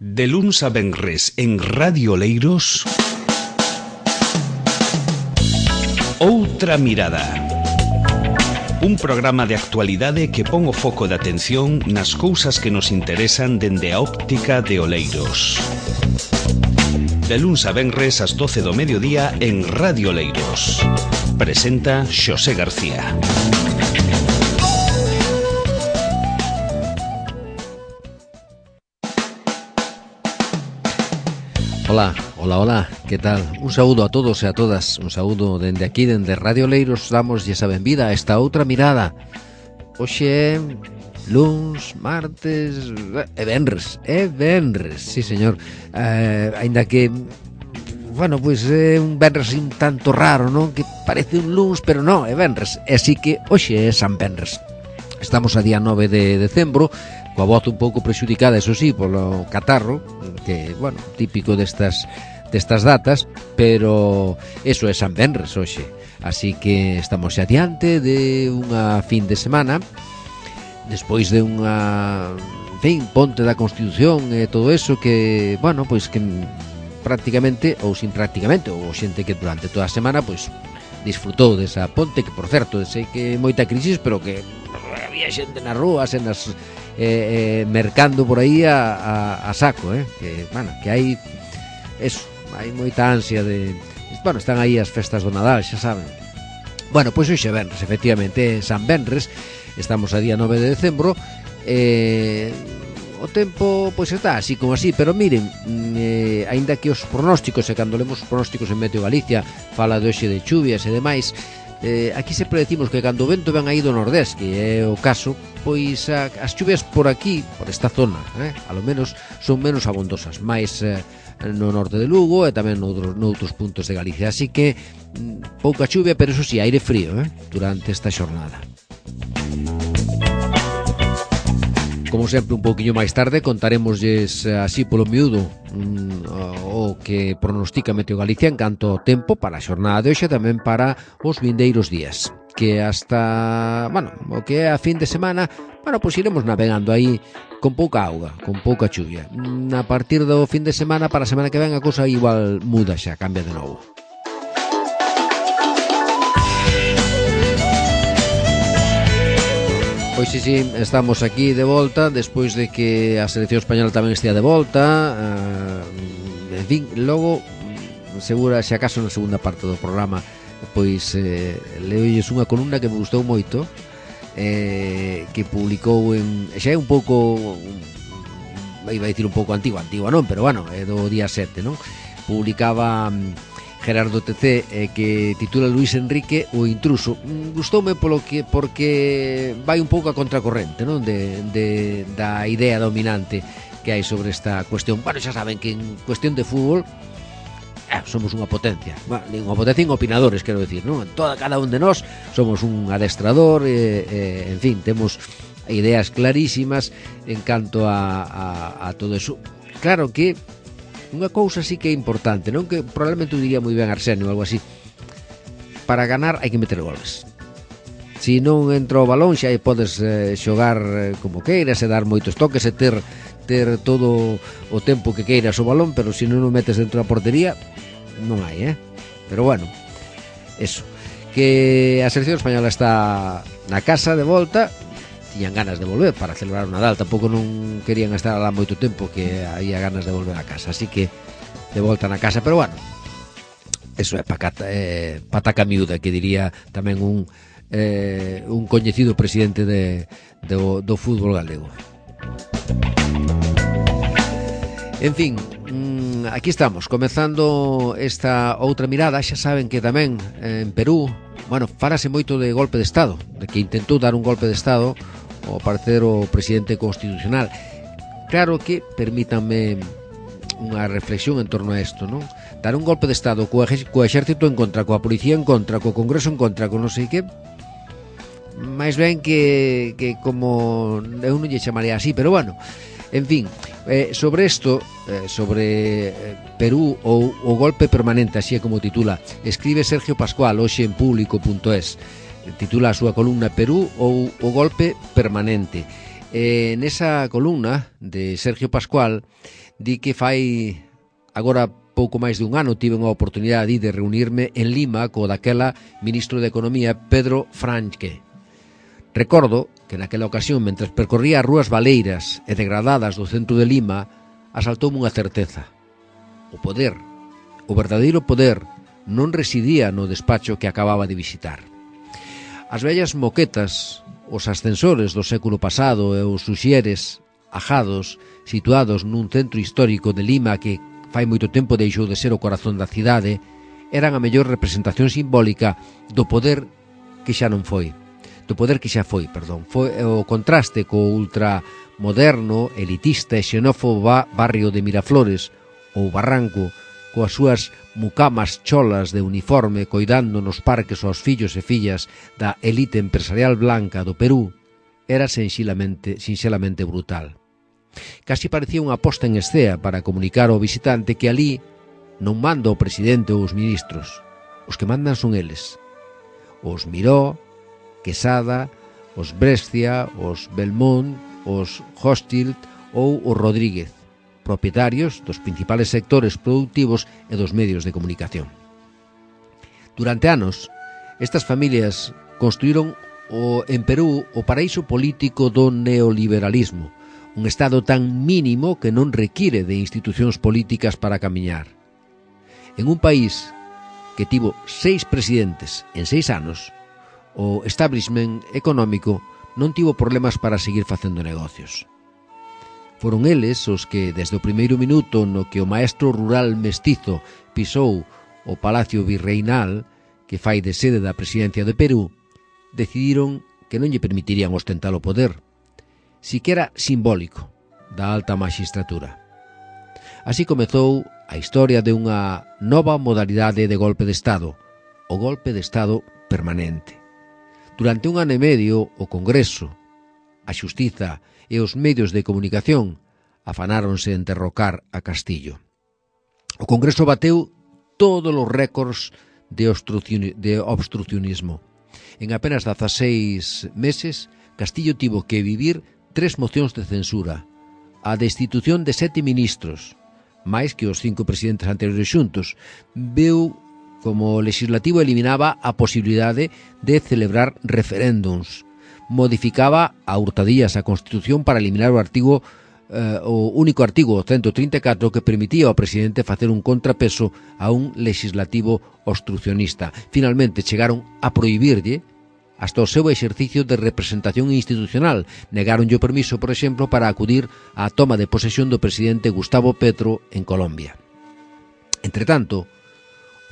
De luns a venres en Radio Oleiros, Outra Mirada. Un programa de actualidade que pon o foco de atención nas cousas que nos interesan dende a óptica de Oleiros. De luns a venres ás 12 do mediodía en Radio Oleiros. Presenta Xosé García. Hola, que tal? Un saúdo a todos e a todas. Un saúdo dende aquí, dende Radio Oleiros. Damos esa benvida a esta outra mirada. Hoxe, luns, martes e venres. Sí, señor. Ainda que, bueno, pois é un venres un tanto raro, non? Que parece un luns, pero non, é venres. E así que hoxe é San Venres. Estamos a día 9 de decembro, coa voz un pouco prexudicada, eso sí, polo catarro, que, bueno, típico destas datas, pero eso é San Venres hoxe. Así que estamos xa adiante de unha fin de semana, despois de unha, en fin, ponte da Constitución e todo eso que, bueno, pois que prácticamente, ou sin prácticamente, ou xente que durante toda a semana, pois, disfrutou desa ponte, que, por certo, sei que moita crisis, pero que había xente nas rúas, en as mercando por aí a saco, que, bueno, que hai eso, hai moita ansia de, bueno, están aí as festas do Nadal, xa saben. Bueno, pois hoxe venres, efectivamente, San Venres, estamos a día 9 de decembro, o tempo pois está así como así, pero miren, aínda que os pronósticos, e cando lemos os pronósticos en Meteo Galicia fala de hoxe de chuvias e demais, aquí sempre decimos que cando o vento ven aí do nordés, que é o caso, pois as chuvias por aquí, por esta zona, a lo menos son menos abondosas, máis no norte de Lugo e tamén noutros puntos de Galicia, así que pouca chuvia, pero eso sí, aire frío durante esta xornada. Como sempre, un pouquiño máis tarde contaremosles así polo miúdo o que pronostica Meteo Galicia en canto ao tempo para a xornada de hoxe, tamén para os vindeiros días, que hasta, bueno, o que é a fin de semana, bueno, pois iremos navegando aí con pouca auga, con pouca chuvia. A partir do fin de semana, para a semana que ven, a cousa igual muda xa, cambia de novo. Pois sí, estamos aquí de volta despois de que a selección española tamén estea de volta, en fin, logo segura, se acaso na segunda parte do programa, pois leolles unha columna que me gustou moito, que publicou xa é un pouco, iba a dicir un pouco antigua non, pero bueno, é do día 7, non? Publicaba Gerardo TC, que titula Luis Enrique o intruso. Gustoume porque vai un pouco a contracorrente, non? Da idea dominante que hai sobre esta cuestión. Bueno, xa saben que en cuestión de fútbol somos unha potencia. Bueno, unha potencia en opinadores, quero decir, non? Cada un de nós somos un adestrador, en fin, temos ideas clarísimas en canto a todo eso. Claro que unha cousa sí que é importante, non? Que probablemente o diría moi ben Arsenio ou algo así. Para ganar hai que meter goles. Si non entra o balón xa aí podes xogar como queiras e dar moitos toques e ter todo o tempo que queiras o balón, pero se non o metes dentro da portería non hai, Pero bueno, eso, que a selección española está na casa de volta, tiñan ganas de volver para celebrar o Nadal, tampouco non querían estar alá moito tempo, que había ganas de volver a casa, así que de volta na casa, pero bueno, eso é pataca miúda, que diría tamén un coñecido presidente do fútbol galego. En fin, aquí estamos, comezando esta outra mirada. Xa saben que tamén en Perú, bueno, fálase moito de golpe de Estado, de que intentou dar un golpe de Estado ao parecer o presidente constitucional. Claro que, permítanme unha reflexión en torno a isto, non? Dar un golpe de Estado co exército en contra, coa policía en contra, co Congreso en contra, con non sei que, máis ben que como eu non lle chamaría así, pero bueno, en fin, sobre isto, sobre Perú ou o golpe permanente, así é como titula, escribe Sergio Pascual hoxe en público.es, titula a súa columna Perú ou o golpe permanente. Nesa columna de Sergio Pascual di que fai agora pouco máis de un ano tiven a oportunidade de reunirme en Lima co daquela ministro de Economía Pedro Franque. Recordo que naquela ocasión, mentre percorría as rúas baleiras e degradadas do centro de Lima, asaltoume unha certeza. O poder, o verdadeiro poder, non residía no despacho que acababa de visitar. As vellas moquetas, os ascensores do século pasado e os suxieres ajados situados nun centro histórico de Lima que fai moito tempo deixou de ser o corazón da cidade, eran a mellor representación simbólica do poder que xa non foi. Do poder que xa foi, perdón. Foi o contraste co ultramoderno, elitista e xenófobo barrio de Miraflores ou Barranco, coas súas mucamas cholas de uniforme coidando nos parques aos fillos e fillas da elite empresarial blanca do Perú, era sinxelamente brutal. Casi parecía unha posta en escena para comunicar ao visitante que ali non manda o presidente ou os ministros. Os que mandan son eles. Os Miró, Quesada, os Brescia, os Belmont, os Hochschild ou os Rodríguez, propietarios dos principales sectores productivos e dos medios de comunicación. Durante anos, estas familias construíron en Perú o paraíso político do neoliberalismo, un estado tan mínimo que non require de institucións políticas para camiñar. En un país que tivo 6 presidentes en 6 anos, o establishment económico non tivo problemas para seguir facendo negocios. Foron eles os que, desde o primeiro minuto no que o maestro rural mestizo pisou o Palacio Virreinal, que fai de sede da presidencia de Perú, decidiron que non lle permitirían ostentar o poder, siquera simbólico, da alta maxistratura. Así comezou a historia de unha nova modalidade de golpe de Estado, o golpe de Estado permanente. Durante un ano e medio, o Congreso, a Xustiza e os medios de comunicación afanáronse en derrocar a Castillo. O Congreso bateu todos os récords de obstrucionismo. En apenas 16 meses, Castillo tivo que vivir 3 mocións de censura, a destitución de 7 ministros, máis que os 5 presidentes anteriores xuntos. Veu como o legislativo eliminaba a posibilidade de celebrar referéndums, modificaba a hurtadillas a Constitución para eliminar o único artigo 134 que permitía ao presidente facer un contrapeso a un legislativo obstrucionista. Finalmente chegaron a prohibirlle hasta o seu exercicio de representación institucional. Negaronlle o permiso, por exemplo, para acudir á toma de posesión do presidente Gustavo Petro en Colombia. Entretanto,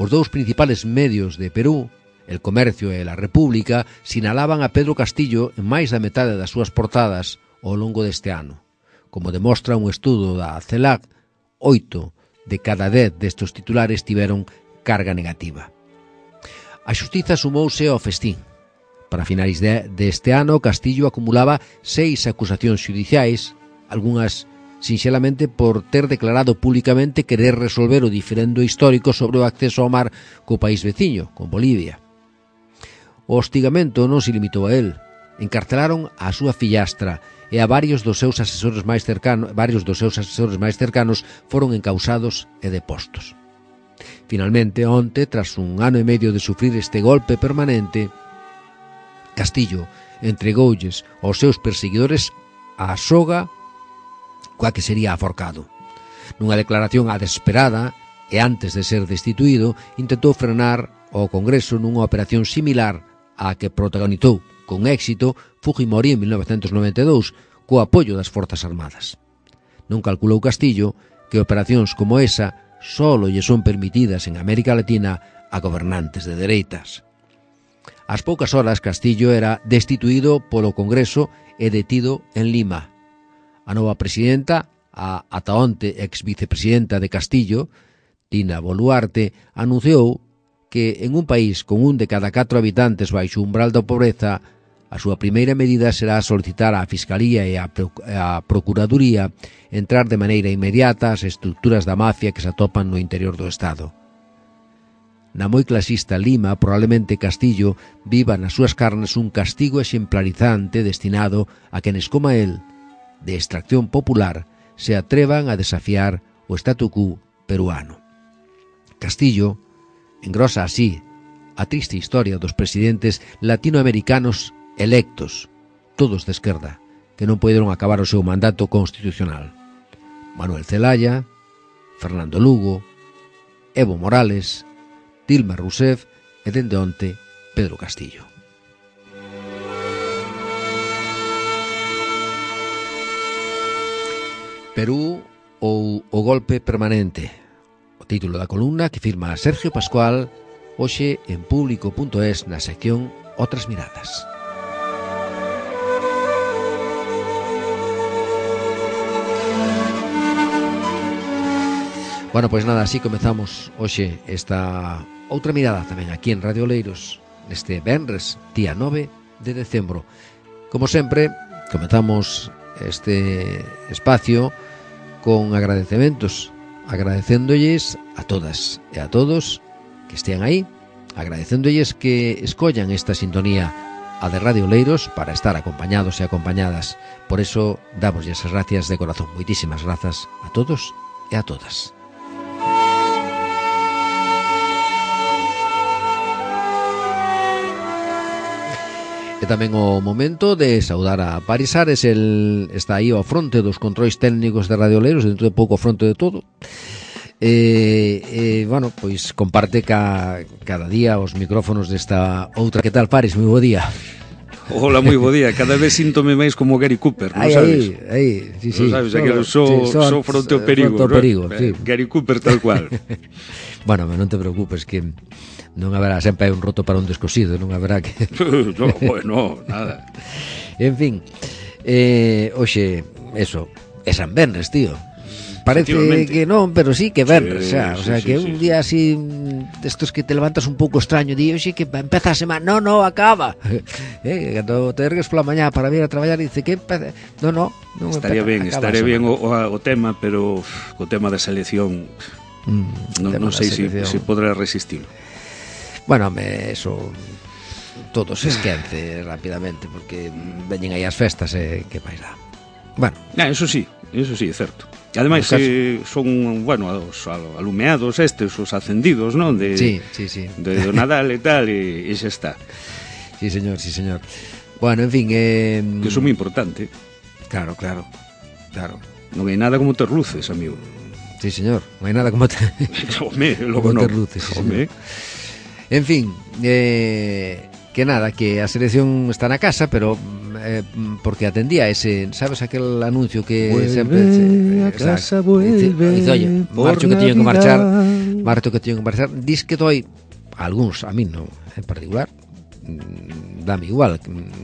os dous principales medios de Perú, El Comercio e La República, sinalaban a Pedro Castillo en máis da metade das súas portadas ao longo deste ano. Como demostra un estudo da CELAC, 8 de cada 10 destes titulares tiveron carga negativa. A Xustiza sumouse ao festín. Para finais deste ano, Castillo acumulaba 6 acusacións xudiciais, algunhas sinxelamente por ter declarado públicamente querer resolver o diferendo histórico sobre o acceso ao mar co país veciño, con Bolivia. O hostigamento non se limitou a él. Encarcelaron a súa fillastra e a varios dos seus asesores máis cercanos foron encausados e depostos. Finalmente, onte, tras un ano e medio de sufrir este golpe permanente, Castillo entregoulles aos seus perseguidores a soga coa que sería aforcado. Nunha declaración a desesperada e antes de ser destituído, intentou frenar o Congreso nunha operación similar á que protagonizou con éxito Fujimori en 1992 co apoio das Forzas Armadas. Non calculou Castillo que operacións como esa solo lle son permitidas en América Latina a gobernantes de dereitas. Ás poucas horas, Castillo era destituído polo Congreso e detido en Lima. A nova presidenta, a ata onte ex-vicepresidenta de Castillo, Dina Boluarte, anunciou que en un país con 1 de cada 4 habitantes baixo o umbral da pobreza, a súa primeira medida será solicitar á Fiscalía e á Procuraduría entrar de maneira inmediata ás estructuras da mafia que se atopan no interior do Estado. Na moi clasista Lima, probablemente Castillo viva nas súas carnes un castigo exemplarizante destinado a quenes, como a él, de extracción popular se atrevan a desafiar o statu quo peruano. Castillo engrosa así a triste historia dos presidentes latinoamericanos electos, todos de esquerda, que non poderon acabar o seu mandato constitucional. Manuel Zelaya, Fernando Lugo, Evo Morales, Dilma Rousseff e dende onte Pedro Castillo. Perú ou o golpe permanente, o título da columna que firma Sergio Pascual hoxe en público.es na sección Otras Miradas. Bueno, pois nada, así comezamos hoxe esta outra mirada tamén aquí en Radio Oleiros neste venres, día 9 de decembro. Como sempre, comezamos este espacio con agradecementos, agradecéndolles a todas e a todos que estean aí, agradecéndolles que escollan esta sintonía, a de Radio Oleiros, para estar acompañados e acompañadas. Por eso, damoslle as gracias de corazón. Moitísimas grazas a todos e a todas. E tamén o momento de saudar a Paris Ares. El está aí ao fronte dos controis técnicos de Radio Oleiros, dentro de pouco ao fronte de todo. Bueno, pois comparte cada día os micrófonos desta outra. Que tal, Paris? Moi bo día. Hola, moi bo día. Cada vez síntome máis como Gary Cooper, non sabes? Aí, sí, sí. Non sabes, aquilo so fronte ao perigo, ¿no? Sí. Gary Cooper tal cual. Bueno, non te preocupes, que non haberá, sempre hai un roto para un descosido, non haberá que... No, bueno, nada. En fin, hoxe, eso, é San Venres, tío. Parece que non, pero sí que venres, o sea, que un día así destos que te levantas un pouco extraño, di, oxe, que empeza a semana, no, acaba. Cando te ergues pola mañá para vir a traballar, dice que empeza, no estaría empeza, ben o tema, pero o tema da selección non sei se podrá resistir. Bueno, eso todo se esquece rapidamente, porque veñen aí as festas e que máis dá. Bueno, eso sí, é certo. Ademais, son, bueno, os alumeados estes, os acendidos, non? Sí. Do Nadal e tal, e xa está. Sí, señor. Bueno, en fin... Que iso é moi importante. Claro. Non hai nada como ter luces, amigo. Sí, señor, non hai nada como ter... Home, logo non. Ter luces, sí, señor. En fin, que nada, que a selección está na casa, pero porque atendía ese, sabes, aquel anuncio que vuelve sempre a casa, vuelve. Dice, oye, marcho que teño que marchar, dis que doi algúns, a mí non en particular, dame igual,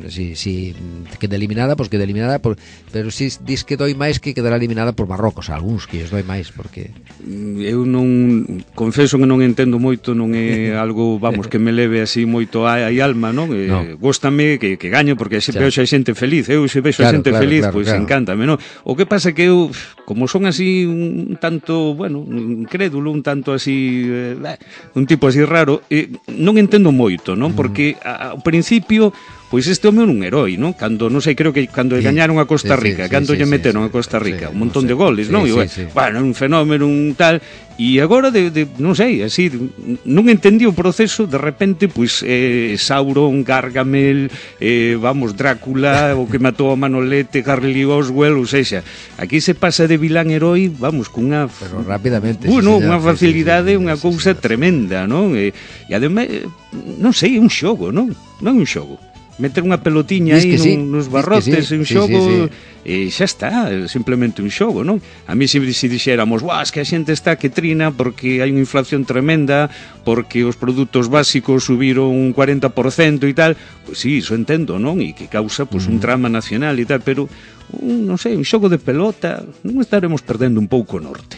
si queda eliminada, pois queda eliminada, pero si dis que doi máis que quedará eliminada por Marrocos, algúns que os doi máis, porque eu non confeso que non entendo moito, non é algo, vamos, que me leve así moito a alma, non? Góstame que gaño, porque se vexo a xente feliz, eu se vexo a xente feliz, pois encántame, non? O que pasa que eu, como son así un tanto, bueno, incrédulo, un tanto así, un tipo así raro, non entendo moito, non? Porque ao principio, pois este home é un heroi, non? Cando, non sei, creo que cando gañaron a Costa Rica, cando lle meteron a Costa Rica, un montón de goles, non? Bueno, un fenómeno, un tal, e agora non sei, así, non entendí o proceso, de repente, pois Sauron, Gargamel, vamos, Drácula, o que matou a Manolete, Harley Oswald, ou sexa, aquí se pasa de vilán heroi, vamos, cunha... Pero rapidamente. Bueno, unha facilidade, unha cousa tremenda, non? E ademais, non sei, é un xogo, non? Non é un xogo. Meter unha pelotiña aí nos barrotes, un xogo, e xa está, simplemente un xogo, non? A mí se dixéramos, es que a xente está que trina porque hai unha inflación tremenda, porque os produtos básicos subiron un 40% e tal, pois sí, iso entendo, non? E que causa pois un drama nacional e tal, pero non sei, un xogo de pelota, non estaremos perdendo un pouco o norte.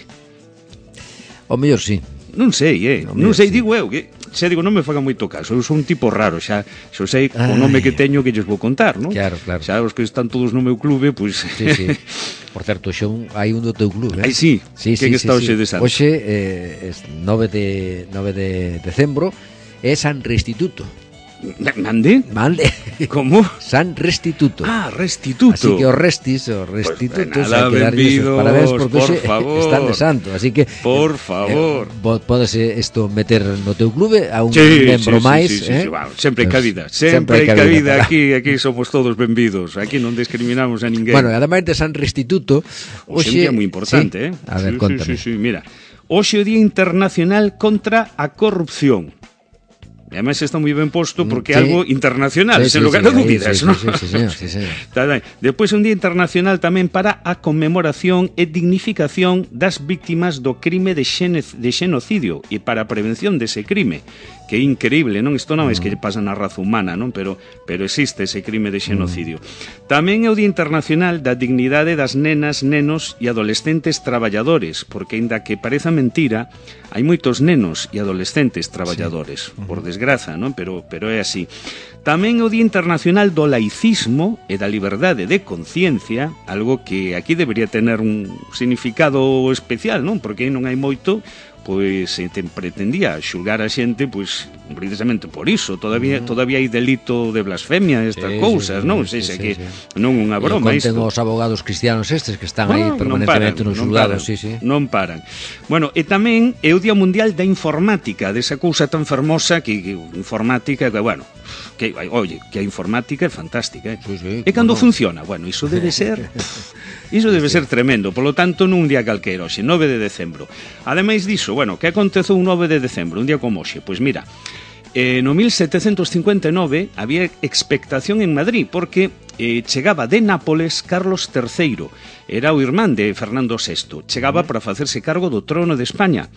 O mellor sí. Non sei, non sei, digo eu, que xa digo, non me faga moito caso, eu son un tipo raro, xa sei o nome que teño que lles vou contar, non? Claro. Xa os que están todos no meu clube, pois... Sí. Por certo, xa hai un do teu clube, Ai, sí, que está hoxe de santo. Hoxe, 9 de decembro, é San Restituto. Mande? Como? San Restituto. Ah, Restituto. Así que os restitutos pues nada, hai que darlles os parabéns porque por favor. están de santo, así que por favor. Podes isto meter no teu clube a un membro máis, sí, bueno, sempre hai cabida, sempre hai cabida aquí somos todos benvidos, aquí non discriminamos a ninguén. Bueno, ademais de San Restituto, hoxe é moi importante, sí? A ver, contame. Sí, mira. Hoxe é o Día Internacional contra a Corrupción. E ademais está moi ben posto porque é algo internacional, sen lugar a dúbidas, non? Sí, señor. Depois un día internacional tamén para a conmemoración e dignificación das víctimas do crime de xenocidio e para a prevención dese crime, que é increíble, non? Isto non é que pasa na raza humana, non? Pero existe ese crime de xenocidio. Tamén é o Día Internacional da Dignidade das nenas, nenos e adolescentes traballadores, porque aínda que pareza mentira, hai moitos nenos e adolescentes traballadores, por desgraza, non? Pero é así. Tamén o Día Internacional do Laicismo e da Liberdade de Conciencia, algo que aquí debería tener un significado especial, non? Porque non hai moito, pois se pretendía xulgar a xente, pois precisamente por iso, todavía hai delito de blasfemia, estas cousas, non? Sei que non é unha broma isto. Conten os abogados cristianos estes que están aí permanentemente nos xulgados, non paran. Bueno, e tamén é o Día Mundial da Informática, desa cousa tan fermosa que informática, que, bueno, que a informática é fantástica, e cando funciona, bueno, iso debe ser tremendo. Polo tanto, nun día calquera, hoxe, 9 de decembro. Ademais diso, bueno, que aconteceu un 9 de decembro, un día como hoxe? Pois mira, no 1759 había expectación en Madrid porque chegaba de Nápoles Carlos III, era o irmán de Fernando VI, chegaba para facerse cargo do trono de España.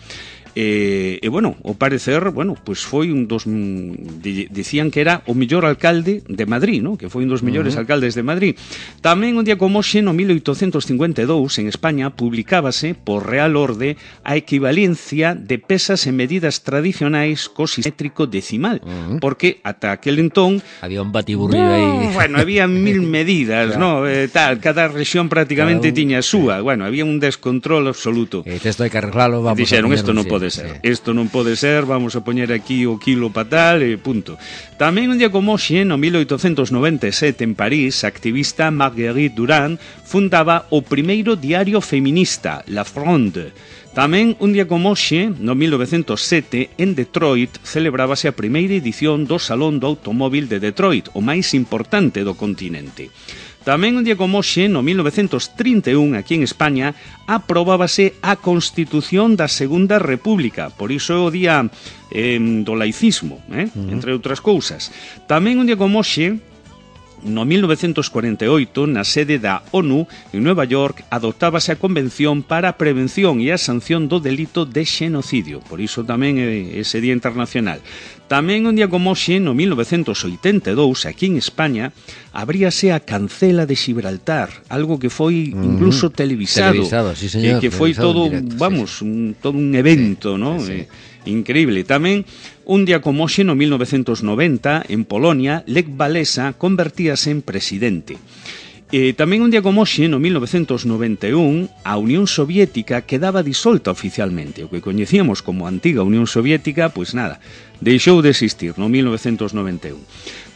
E bueno, ao parecer, bueno, pois foi un dos dicían que era o mellor alcalde de Madrid, ¿no? Que foi un dos mellores alcaldes de Madrid. Tamén un día como hoxe, no 1852, en España, publicábase por Real Orde a equivalencia de pesas e medidas tradicionais co simétrico decimal, porque ata aquel entón había un batiburrillo aí. Bueno, había 1000 medidas, claro. ¿No? Cada rexión prácticamente tiña a súa. Bueno, había un descontrol absoluto. Isto hai que arreglalo, vamos. Dixeron, isto non pode ser. Isto non pode ser, vamos a poñer aquí o kilo para tal e punto. Tamén un día como hoxe, no 1897, en París, a activista Marguerite Durand fundaba o primeiro diario feminista, La Fronde. Tamén un día como hoxe, no 1907, en Detroit, celebrábase a primeira edición do Salón do Automóvil de Detroit, o máis importante do continente. Tamén un día como hoxe, no 1931, aquí en España, aprobábase a Constitución da Segunda República. Por iso é o día do laicismo, entre outras cousas. Tamén un día como hoxe, no 1948, na sede da ONU, en Nueva York, adoptábase a Convención para a Prevención e a Sanción do Delito de Xenocidio. Por iso tamén é ese Día Internacional. Tamén un día como hoxe, no 1982, aquí en España, abríase a Cancela de Gibraltar, algo que foi incluso televisado, sí, señor, que foi todo, directo, vamos, todo un evento, ¿no? Sí. Increíble. Tamén un día como hoxe, no 1990, en Polonia, Lech Walesa convertíase en presidente. Tamén un día como hoxe, no 1991, a Unión Soviética quedaba disolta oficialmente. O que coñecíamos como antiga Unión Soviética, pois nada, deixou de existir no 1991.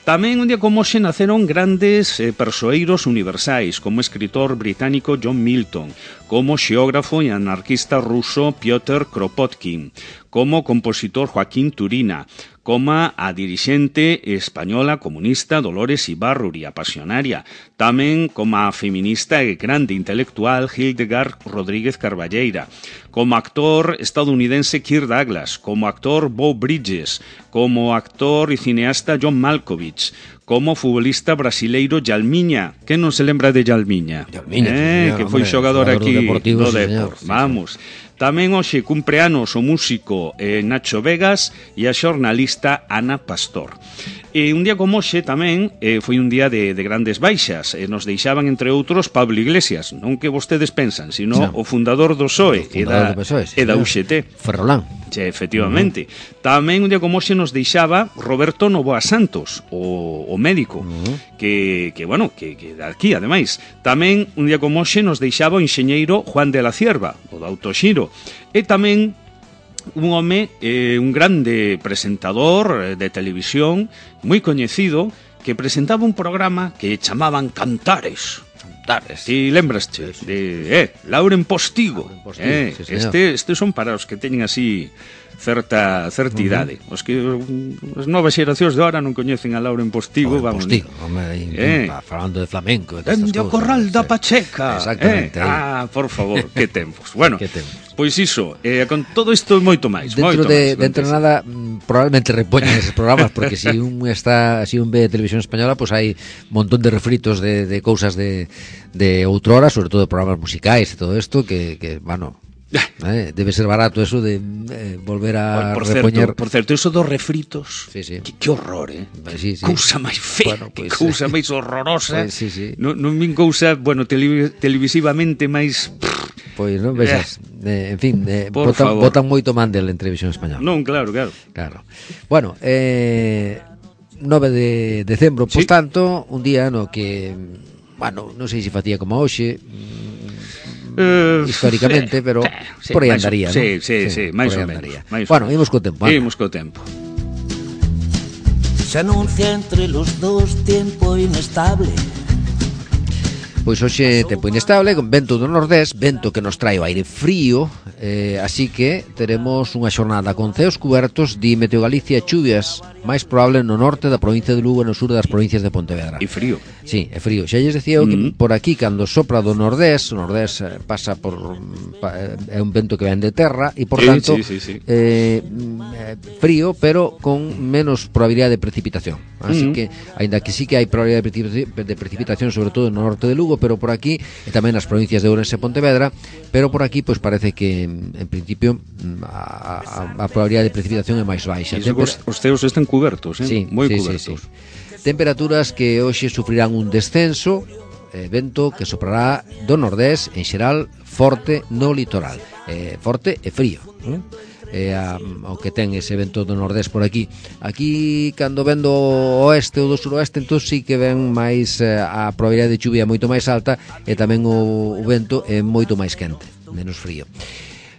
Tamén un día como hoxe naceron grandes persoeiros universais, como o escritor británico John Milton, como o xeógrafo e anarquista ruso Piotr Kropotkin, como o compositor Joaquín Turina, como a dirixente española comunista Dolores Ibárruri, a pasionaria, tamén como a feminista e grande intelectual Hildegard Rodríguez Carballeira, como actor estadounidense Kirk Douglas, como actor Beau Bridges, como actor e cineasta John Malkovich, como futbolista brasileiro Jalmiña. Que non se lembra de Jalmiña? Que foi xogador aquí do Depor. Vamos. Tamén hoxe cumpre anos o músico Nacho Vegas e a xornalista Ana Pastor. E un día como hoxe tamén foi un día de grandes baixas. Nos deixaban, entre outros, Pablo Iglesias, non que vostedes pensan, sino o fundador do PSOE e da UGT. Ferrolán. Efectivamente. Tamén un día como hoxe nos deixaba Roberto Novoa Santos, o médico, que aquí, ademais. Tamén un día como hoxe nos deixaba o enxeñeiro Juan de la Cierva, o do Autoxiro. E tamén un home, un grande presentador de televisión, moi coñecido, que presentaba un programa que chamaban Cantares. Si lembraste de Lauren Postigo, sí, estes son para os que teñen así certa idade. Os que as novas xeracións de ahora non coñecen a Lauren Postigo, vamos. Postigo, falando de flamenco, dende o Corral da Pacheca. Exactamente. Por favor, que tempos. Bueno, pois iso, con todo isto moito máis. Dentro de nada, probablemente repoñan esos programas, porque si un ve televisión española, pues hai un montón de refritos de cousas de outrora, sobre todo de programas musicais e todo isto, que bueno, debe ser barato eso de volver a repoñer. Por certo, eso dos refritos, sí. Que horror, sí. Cousa máis fea, bueno, pues, cousa máis horrorosa. Pues, sí. Non min cousa, bueno, televisivamente máis... Pois non vexas, en fin, botan moito mandel en televisión española. Non, claro. Bueno, 9 de decembro, por tanto, un día no que, bueno, non sei se facía como hoxe, históricamente, pero por aí andaría, ¿no? Sí, máis ou menos. Bueno, imos co tempo. Se anuncia entre los dos tiempo inestable. Pois hoxe tempo inestable, con vento do nordés, vento que nos trae o aire frío, así que teremos unha xornada con ceos cubertos, di Meteo Galicia, chuvias máis probable no norte da provincia de Lugo e no sur das provincias de Pontevedra. E frío. Sí, é frío. Xa lles decía eu que por aquí, cando sopra do nordés, o nordés pasa por... é un vento que ven de terra, e por tanto, frío, pero con menos probabilidade de precipitación. Así que, aínda que sí que hai probabilidade de precipitación, sobre todo no norte de Lugo, pero por aquí, e tamén nas provincias de Ourense e Pontevedra, pero por aquí, pois parece que, en principio, a probabilidade de precipitación é máis baixa. Os ceos están cubertos, sí, moi cubertos. Sí. Temperaturas que hoxe sufrirán un descenso, vento que soprará do nordés, en xeral, forte no litoral. Forte e frío, o que ten ese vento do nordés por aquí. Aquí, cando ven do oeste ou do suroeste, entón sí que ven máis a probabilidade de chuvia moito máis alta, e tamén o vento é moito máis quente, menos frío.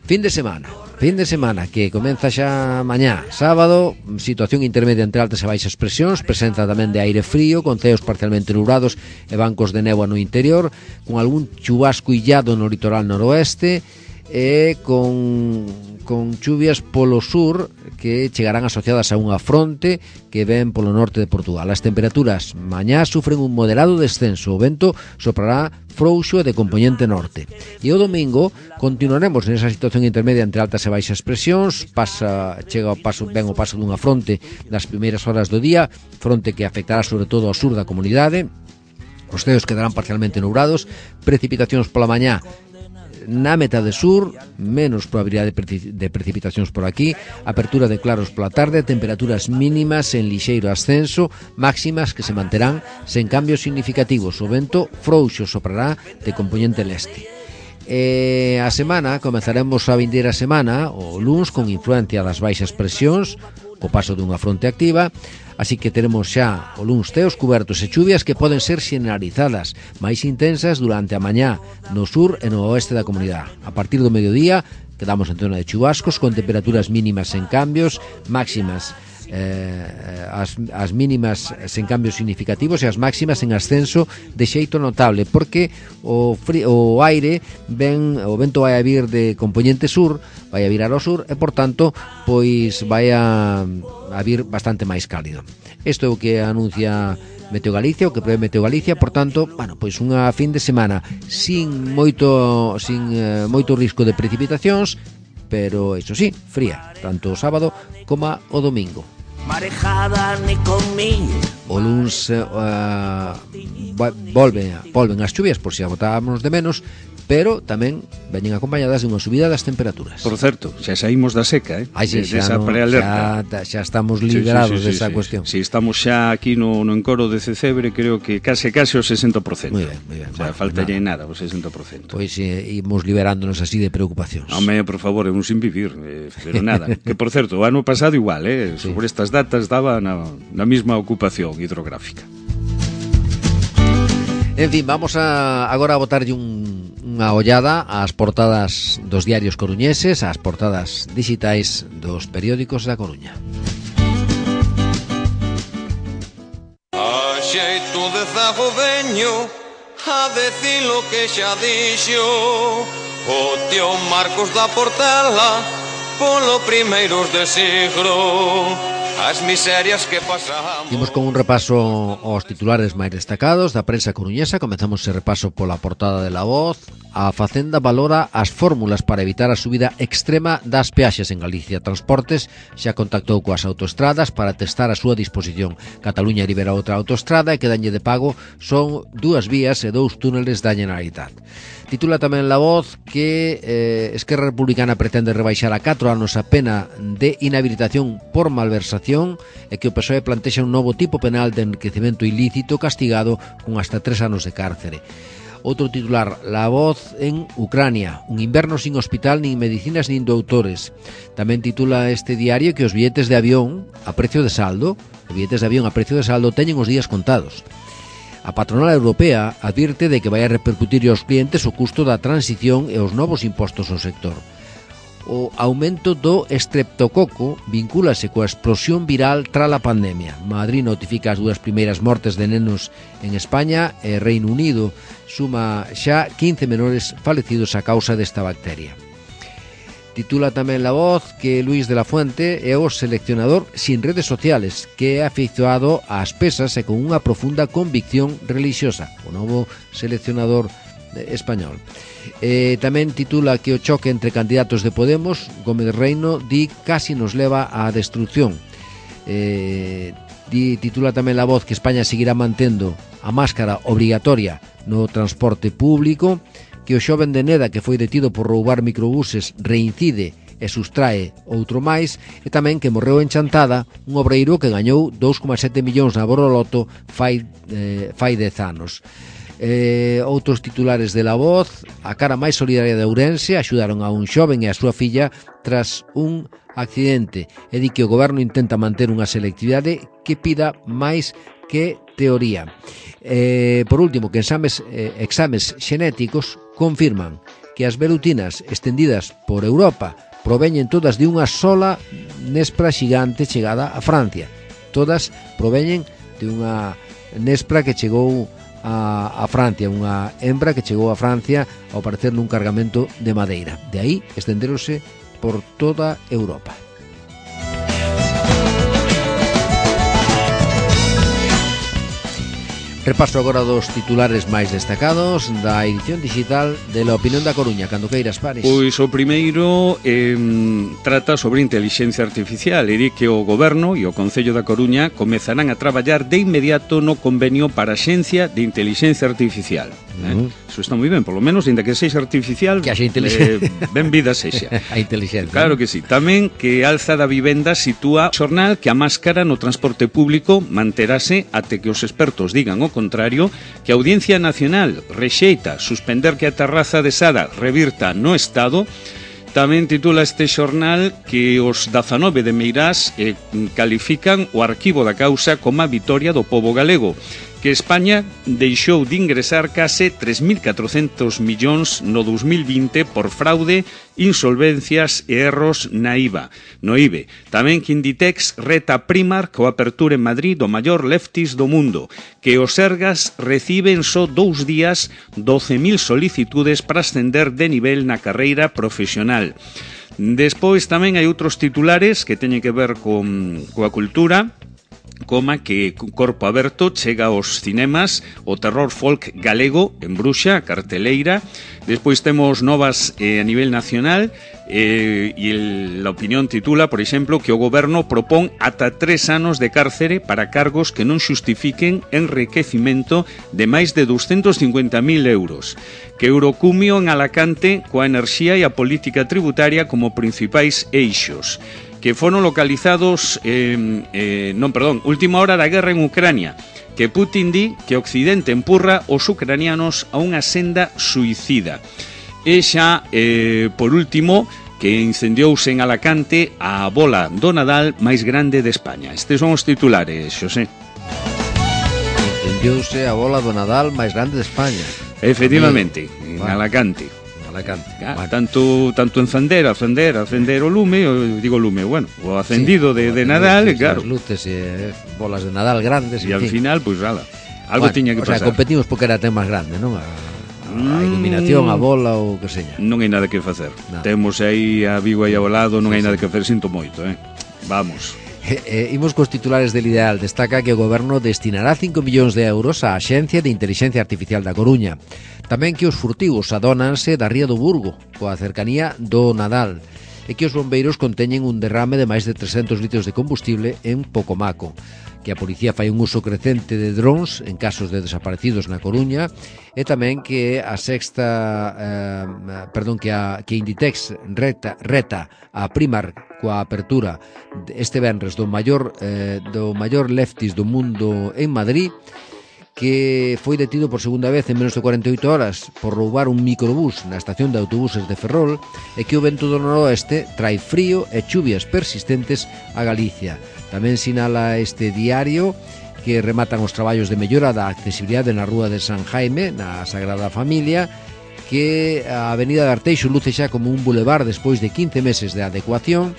Fin de semana que comeza xa mañá, sábado, situación intermedia entre altas e baixas presións, presenza tamén de aire frío, con ceos parcialmente nubrados e bancos de néboa no interior, con algún chubasco illado no litoral noroeste, e con chuvias polo sur que chegarán asociadas a unha fronte que ven polo norte de Portugal. As temperaturas mañá sufren un moderado descenso, o vento soprará frouxo e de compoñente norte. E o domingo continuaremos nesa situación intermedia entre altas e baixas presións, ven o paso dunha fronte nas primeiras horas do día, fronte que afectará sobre todo ao sur da comunidade. Os ceos quedarán parcialmente nubrados, precipitacións pola mañá na metade sur, menos probabilidade de precipitacións por aquí, apertura de claros pola tarde, temperaturas mínimas en lixeiro ascenso, máximas que se manterán sen cambios significativos. O vento frouxo soprará de compoñente leste. A semana, comezaremos a vindeira semana, o luns, con influencia das baixas presións, co paso dunha fronte activa, así que teremos xa o luns ceos cubertos e chuvias que poden ser xeneralizadas, máis intensas durante a mañá no sur e no oeste da comunidade. A partir do mediodía quedamos en zona de chubascos con temperaturas mínimas sen cambios, máximas as mínimas sen cambios significativos e as máximas en ascenso de xeito notable, porque o aire o vento vai a vir de compoñente sur, vai a virar ao sur, e por tanto pois vai a vir bastante máis cálido. Isto é o que anuncia Meteo Galicia, o que prevé Meteo Galicia, por tanto, bueno, pois unha fin de semana sin moito risco de precipitacións, pero iso sí, fría, tanto o sábado como o domingo. Marejada ni conmigo. O luns volven as chuvias, por si a botábamos de menos, pero tamén veñen acompañadas de unha subida das temperaturas. Por certo, xa saímos da seca, xa estamos liberados desa cuestión. Si estamos xa aquí no encoro de Cecebre, creo que case o 60%. Moi ben. O sea, falta ya nada, o 60%. Pois imos liberándonos así de preocupacións. Home, por favor, é un sin vivir, pero nada. Que, por certo, o ano pasado igual, sobre estas datas daba na mesma ocupación hidrográfica. En fin, vamos agora a botarlle un unha ollada ás portadas dos diarios coruñeses, ás portadas digitais dos periódicos da Coruña. A xeito de zago veño a decir lo que xa dixo o tío Marcos da Portela polo primeiros de siglo. As miserias que pasamos. Imos con un repaso aos titulares máis destacados da prensa coruñesa. Comezamos ese repaso pola portada de La Voz. A Facenda valora as fórmulas para evitar a subida extrema das peaxes en Galicia. Transportes xa contactou coas autoestradas para testar a súa disposición. Cataluña libera outra autoestrada e que dañe de pago son 2 vías e 2 túneles da Generalitat. Titula tamén La Voz que Esquerra Republicana pretende rebaixar a 4 anos a pena de inhabilitación por malversación e que o PSOE plantexa un novo tipo penal de enriquecemento ilícito castigado con hasta 3 anos de cárcere. Outro titular, La Voz en Ucrania, un inverno sin hospital, nin medicinas nin doutores. Tamén titula este diario que os billetes de avión a precio de saldo, teñen os días contados. A patronal europea advirte de que vai a repercutir aos clientes o custo da transición e os novos impostos ao sector. O aumento do estreptococo vincúlase coa explosión viral tras a pandemia. Madrid notifica as 2 primeiras mortes de nenos en España e Reino Unido suma xa 15 menores falecidos a causa desta bacteria. Titula tamén La Voz que Luis de la Fuente é o seleccionador sin redes sociales, que é afeiçoado ás pesas e con unha profunda convicción religiosa, o novo seleccionador español. Tamén titula que o choque entre candidatos de Podemos, Gómez Reino, di casi nos leva á destrucción. Titula tamén La Voz que España seguirá mantendo a máscara obrigatoria no transporte público, que o xoven de Neda que foi detido por roubar microbuses reincide e sustrae outro máis, e tamén que morreu en Chantada un obreiro que gañou 2,7 millóns na Boroloto fai 10 anos. Outros titulares de La Voz: a cara máis solidaria de Ourense, axudaron a un xoven e a súa filla tras un accidente, e di que o goberno intenta manter unha selectividade que pida máis que teoría. Por último, que exames xenéticos confirman que as velutinas estendidas por Europa proveñen todas de unha sola nespra xigante chegada a Francia. Todas proveñen de unha nespra que chegou a Francia, unha hembra que chegou a Francia ao parecer nun cargamento de madeira. De aí estenderonse por toda Europa. Repaso agora dos titulares máis destacados da edición digital de La Opinión da Coruña. Cando queiras, Pares. Pois o primeiro trata sobre inteligencia artificial e di que o Goberno e o Concello da Coruña comezarán a traballar de inmediato no convenio para a Xencia de Inteligencia Artificial. Eso está moi ben, polo menos, ainda que sexa artificial, que haxa inteligencia. Ben vida sexa. A inteligencia. Claro que sí. Tamén que alza da vivenda sitúa xornal que a máscara no transporte público manterase até que os expertos digan o contrario, que a Audiencia Nacional rexeita suspender que a terraza de Sada revirta no Estado. Tamén titula este xornal que os 19 de Meirás califican o arquivo da causa como a vitoria do pobo galego, que España deixou de ingresar case 3.400 millóns no 2020 por fraude, insolvencias e erros na IVA, no IBE. Tamén que Inditex reta Primark coa apertura en Madrid do maior leftis do mundo, que os Sergas reciben só 2 días 12.000 solicitudes para ascender de nivel na carreira profesional. Despois tamén hai outros titulares que teñen que ver coa cultura, coma que Corpo Aberto chega aos cinemas o terror folk galego en Bruxa, carteleira. Despois temos novas a nivel nacional e La Opinión titula, por exemplo, que o goberno propón ata 3 anos de cárcere para cargos que non xustifiquen enriquecimento de máis de 250.000 euros. Que Eurocumio en Alacante coa enerxía e a política tributaria como principais eixos. Que foron localizados última hora da guerra en Ucrania, que Putin di que Occidente empurra os ucranianos a unha senda suicida. E xa, por último, que incendiouse en Alacante a bola do Nadal máis grande de España. Estes son os titulares, Xosé. Incendiouse a bola do Nadal máis grande de España. Efectivamente, en Alacante. Tanto encender o lume, digo lume, bueno, o acendido de Nadal, claro. Luces bolas de Nadal grandes. E al final, pues nada, algo tiña que pasar. O sea, competimos porque era tema grande, non? A iluminación, a bola ou que seña. Non hai nada que facer. Temos aí a Vigo aí ao lado, non hai nada que facer, sinto moito, Vamos. Imos cos titulares del Ideal. Destaca que o Goberno destinará 5 millóns de euros á Axencia de Inteligencia Artificial da Coruña. Tamén que os furtivos adónanse da Ría do Burgo, coa cercanía do Nadal, e que os bombeiros conteñen un derrame de máis de 300 litros de combustible en Pocomaco, que a policía fai un uso crecente de drones en casos de desaparecidos na Coruña, e tamén que a que Inditex reta a Primark coa apertura este venres do maior leftis do mundo en Madrid, que foi detido por segunda vez en menos de 48 horas por roubar un microbús na estación de autobuses de Ferrol, e que o vento do noroeste trae frío e chuvias persistentes a Galicia. Tamén sinala este diario que rematan os traballos de mellora da accesibilidade na rúa de San Jaime, na Sagrada Familia, que a avenida de Arteixo luce xa como un bulevar despois de 15 meses de adecuación,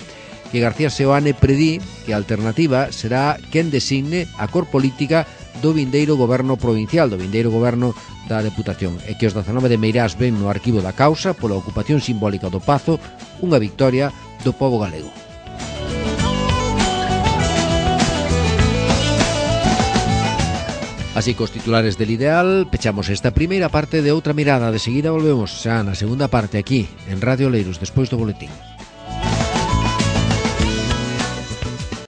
que García Seoane predí que a alternativa será quen designe a cor política do vindeiro goberno provincial, do vindeiro goberno da Deputación, e que os 19 de Meirás ven no arquivo da causa pola ocupación simbólica do Pazo unha victoria do pobo galego. Así cos titulares del Ideal, pechamos esta primeira parte de Outra Mirada. De seguida volvemos xa na segunda parte aquí, en Radio Oleiros, despois do boletín.